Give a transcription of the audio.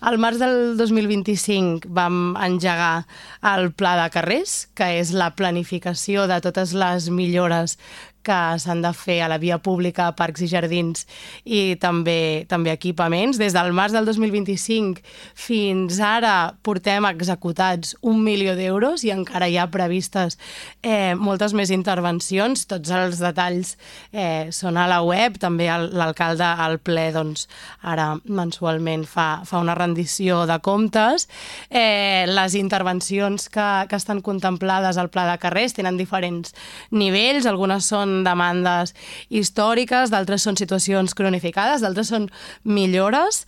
Al març del 2025 vam engegar el Pla de Carrers, que és la planificació de totes les millores que s'han de fer a la via pública, parcs i jardins i també equipaments. Des del març del 2025 fins ara portem executats 1 milió d'euros i encara hi ha previstes moltes més intervencions. Tots els detalls són a la web. També l'alcalde al ple ara mensualment fa una rendició de comptes. Les intervencions que estan contemplades al Pla de Carrers tenen diferents nivells. Algunes són demandes històriques, d'altres són situacions cronificades, d'altres són millores.